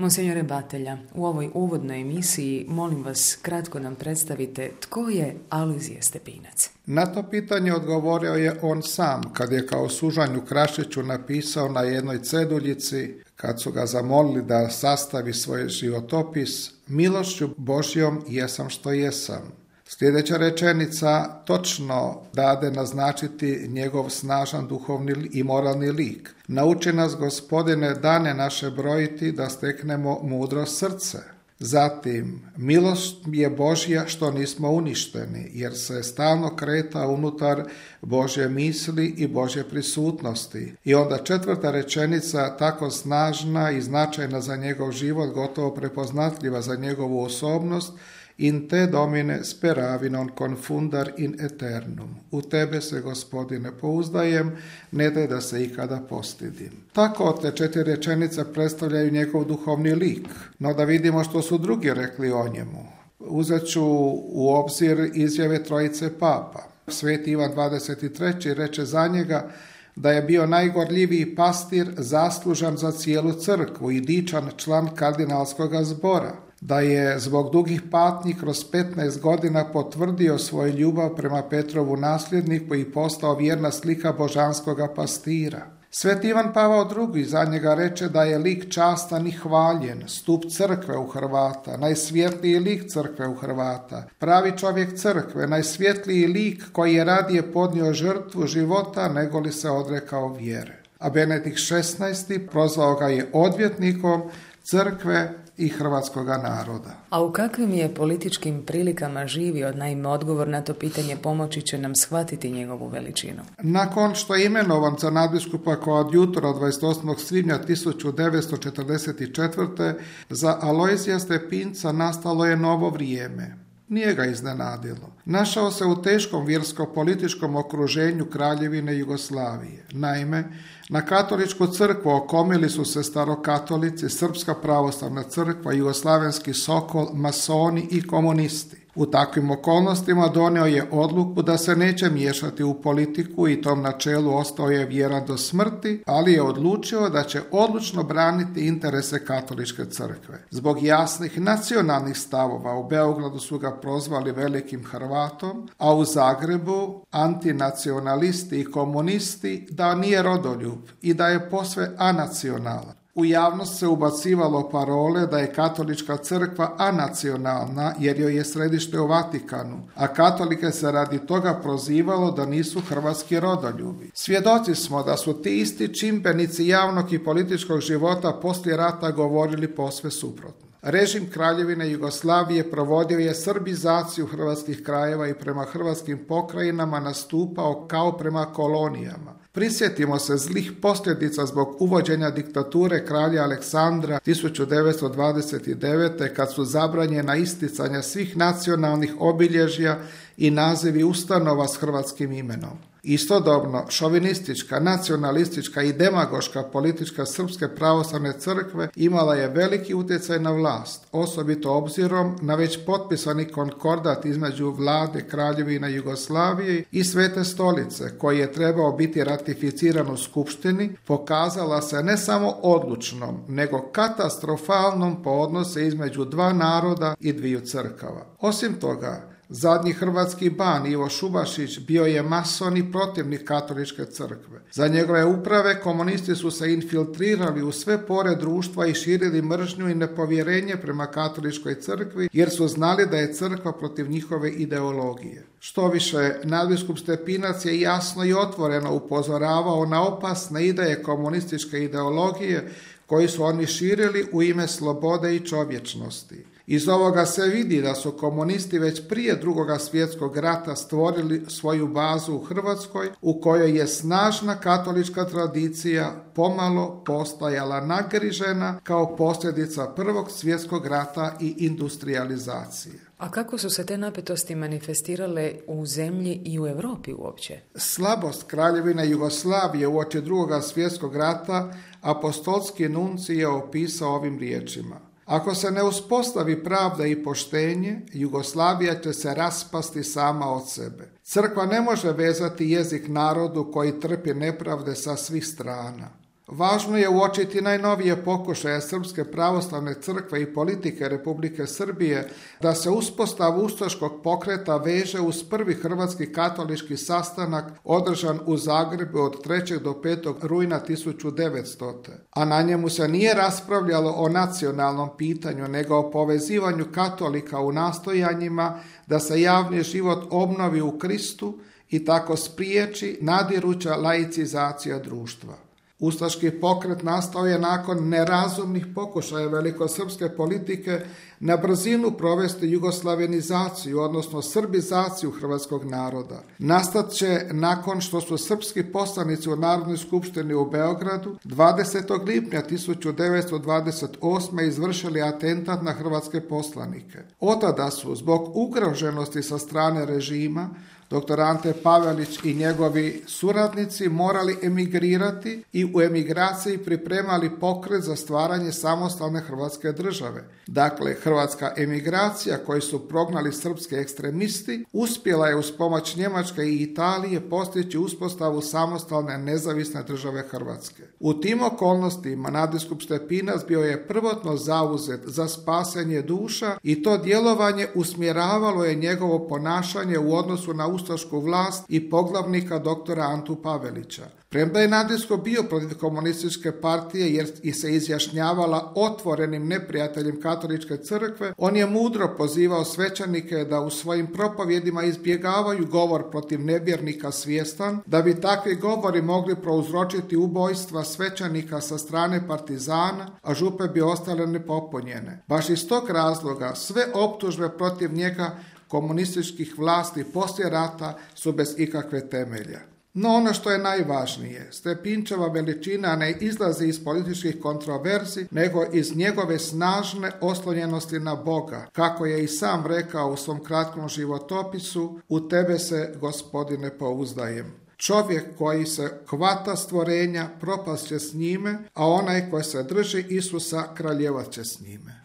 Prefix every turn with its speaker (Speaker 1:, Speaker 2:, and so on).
Speaker 1: Monsignore Batelja, u ovoj uvodnoj emisiji molim vas kratko nam predstavite tko je Alojzije Stepinac.
Speaker 2: Na to pitanje odgovorio je on sam kad je kao Sužanju Krašiću napisao na jednoj ceduljici, kad su ga zamolili da sastavi svoj životopis: milošću Božjom jesam što jesam. Sljedeća rečenica točno dade naznačiti njegov snažan duhovni i moralni lik. Nauči nas, Gospodine, dane naše brojiti da steknemo mudro srce. Zatim, milost je Božja što nismo uništeni, jer se stalno kreta unutar Božje misli i Božje prisutnosti. I onda četvrta rečenica, tako snažna i značajna za njegov život, gotovo prepoznatljiva za njegovu osobnost: in te domine speravi non confundar in eternum. U tebe se, Gospodine, pouzdajem, ne daj da se ikada postidim. Tako te 4 rečenice predstavljaju njegov duhovni lik. No da vidimo što su drugi rekli o njemu. Uzet ću u obzir izjave trojice papa. Sveti Ivan 23. reče za njega da je bio najgorljiviji pastir, zaslužan za cijelu crkvu i dičan član kardinalskog zbora, da je zbog dugih patnji kroz 15 godina potvrdio svoju ljubav prema Petrovu nasljedniku i postao vjerna slika božanskoga pastira. Sveti Ivan Pavao II. Za njega reče da je lik častan i hvaljen, stup crkve u Hrvata, najsvjetliji lik crkve u Hrvata, pravi čovjek crkve, najsvjetliji lik koji je radije podnio žrtvu života nego li se odrekao vjere. A Benedikt XVI. Prozvao ga je odvjetnikom crkve i hrvatskoga naroda.
Speaker 1: A u kakvim je političkim prilikama živio? Naime, odgovor na to pitanje pomoći će nam shvatiti njegovu veličinu.
Speaker 2: Nakon što je imenovan za nadbiskupa koadjutora 28. svibnja 1944. za Alojzija Stepinca nastalo je novo vrijeme. Nije ga iznenadilo. Našao se u teškom vjersko-političkom okruženju Kraljevine Jugoslavije. Naime, na katoličku crkvu okomili su se starokatolici, Srpska pravoslavna crkva, Jugoslavenski Sokol, masoni i komunisti. U takvim okolnostima donio je odluku da se neće miješati u politiku i tom načelu ostao je vjeran do smrti, ali je odlučio da će odlučno braniti interese katoličke crkve. Zbog jasnih nacionalnih stavova u Beogradu su ga prozvali velikim Hrvatom, a u Zagrebu antinacionalisti i komunisti da nije rodoljub i da je posve anacionalan. U javnost se ubacivalo parole da je katolička crkva anacionalna jer joj je središte u Vatikanu, a katolike se radi toga prozivalo da nisu hrvatski rodoljubi. Svjedoci smo da su ti isti čimbenici javnog i političkog života poslije rata govorili posve suprotno. Režim Kraljevine Jugoslavije provodio je srbizaciju hrvatskih krajeva i prema hrvatskim pokrajinama nastupao kao prema kolonijama. Prisjetimo se zlih posljedica zbog uvođenja diktature kralja Aleksandra 1929. kad su zabranjena isticanja svih nacionalnih obilježja i nazivi ustanova s hrvatskim imenom. Istodobno, šovinistička, nacionalistička i demagoška politička Srpske pravoslavne crkve imala je veliki utjecaj na vlast, osobito obzirom na već potpisani konkordat između vlade Kraljevine Jugoslavije i Svete stolice, koji je trebao biti ratificiran u Skupštini, pokazala se ne samo odlučnom, nego katastrofalnom po odnose između dva naroda i dviju crkava. Osim toga, zadnji hrvatski ban Ivo Šubašić bio je mason i protivnik katoličke crkve. Za njegove uprave komunisti su se infiltrirali u sve pore društva i širili mržnju i nepovjerenje prema katoličkoj crkvi jer su znali da je crkva protiv njihove ideologije. Štoviše, nadbiskup Stepinac je jasno i otvoreno upozoravao na opasne ideje komunističke ideologije koji su oni širili u ime slobode i čovječnosti. Iz ovoga se vidi da su komunisti već prije Drugog svjetskog rata stvorili svoju bazu u Hrvatskoj u kojoj je snažna katolička tradicija pomalo postajala nagrižena kao posljedica Prvog svjetskog rata i industrijalizacije.
Speaker 1: A kako su se te napetosti manifestirale u zemlji i u Europi uopće?
Speaker 2: Slabost Kraljevine Jugoslavije uoči Drugog svjetskog rata apostolski nuncij je opisao ovim riječima: ako se ne uspostavi pravda i poštenje, Jugoslavija će se raspasti sama od sebe. Crkva ne može vezati jezik narodu koji trpi nepravde sa svih strana. Važno je uočiti najnovije pokušaje Srpske pravoslavne crkve i politike Republike Srbije da se uspostavu ustaškog pokreta veže uz prvi hrvatski katolički sastanak održan u Zagrebu od 3. do 5. rujna 1900. A na njemu se nije raspravljalo o nacionalnom pitanju, nego o povezivanju katolika u nastojanjima da se javni život obnovi u Kristu i tako spriječi nadiruća laicizacija društva. Ustaški pokret nastao je nakon nerazumnih pokušaja velikosrpske politike na brzinu provesti jugoslavenizaciju, odnosno srbizaciju hrvatskog naroda. Nastat će nakon što su srpski poslanici u Narodnoj skupštini u Beogradu 20. lipnja 1928. izvršili atentat na hrvatske poslanike. Otada su, zbog ugroženosti sa strane režima, dr. Ante Pavelić i njegovi suradnici morali emigrirati i u emigraciji pripremali pokret za stvaranje samostalne hrvatske države. Dakle, hrvatska emigracija koju su prognali srpski ekstremisti uspjela je uz pomoć Njemačke i Italije postići uspostavu samostalne nezavisne države Hrvatske. U tim okolnostima nadbiskup Stepinac bio je prvotno zauzet za spasenje duša i to djelovanje usmjeravalo je njegovo ponašanje u odnosu na ustašku vlast i poglavnika doktora Antu Pavelića. Premda je nadbiskup bio protiv komunističke partije jer se izjašnjavala otvorenim neprijateljem katoličke crkve, on je mudro pozivao svećenike da u svojim propovjedima izbjegavaju govor protiv nevjernika svjestan, da bi takvi govori mogli prouzročiti ubojstva svećenika sa strane partizana, a župe bi ostale nepopunjene. Baš iz tog razloga sve optužbe protiv njega komunističkih vlasti poslije rata su bez ikakve temelja. No ono što je najvažnije, Stepinčeva veličina ne izlazi iz političkih kontroverzi, nego iz njegove snažne oslonjenosti na Boga. Kako je i sam rekao u svom kratkom životopisu, u tebe se, Gospodine, pouzdajem. Čovjek koji se hvata stvorenja propast će s njime, a onaj koji se drži Isusa kraljevat će s njime.